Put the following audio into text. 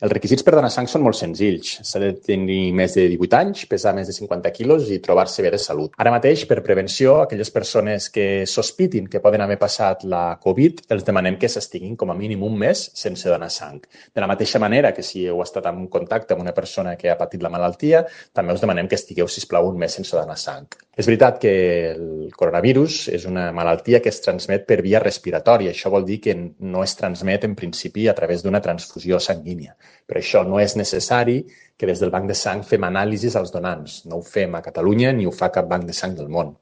Els requisits per donar sang són molt senzills. S'ha de tenir més de 18 anys, pesar més de 50 quilos i trobar-se bé de salut. Ara mateix, per prevenció, aquelles persones que sospitin que poden haver passat la Covid, els demanem que s'estiguin com a mínim un mes sense donar sang. De la mateixa manera que si heu estat en contacte amb una persona que ha patit la malaltia, també us demanem que estigueu, sisplau, un mes sense donar sang. És veritat que el coronavirus és una malaltia que es transmet per via respiratòria. Això vol dir que no es transmet en principi a través d'una transfusió sanguínia. Però això no és necessari que des del Banc de Sang fem anàlisis als donants. No ho fem a Catalunya ni ho fa cap banc de sang del món.